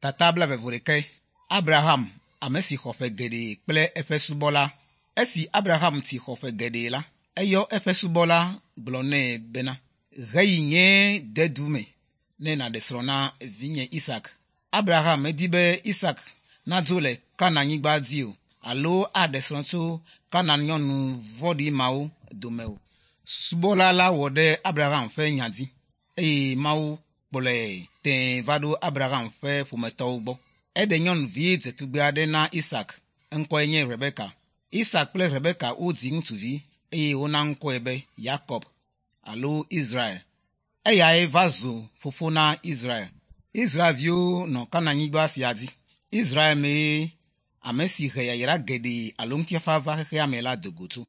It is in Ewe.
Tata blaeve-vɔ-ɖekɛ. Abraham, ame si xɔ ƒe geɖe kple eƒe subɔla. Esi Abraham tsi xɔ ƒe geɖe la, eyɔ eƒe subɔla gblɔ nɛ bena, Heyi nye dedu me ne nàɖe srɔ̃ na vinye Isak. Abraham medi be Isak nadzo le Kananyigba dzi o alo aɖe srɔ̃ tso Kanan nyɔnu vɔ̃ɖi mawo dome o. Subɔla la wɔ ɖe Abraham ƒe nya dzi eye Mawu kplɔe tẽe va ɖo Abraham ƒe ƒometɔwo gbɔ. Eɖe nyɔnuvi dzetugbe aɖe na Isak, eŋkɔe nye Rebeka. Isak kple Rebeka wodzi ŋutsuvi eye wona ŋkɔe be Yakob alo Israel. Eyae va zu fofo na Israel. Israelviwo nɔ Kananyigba sia dzi. Israel mee ame si he yayra geɖe alo ŋutifafa va xexea me la do go tso.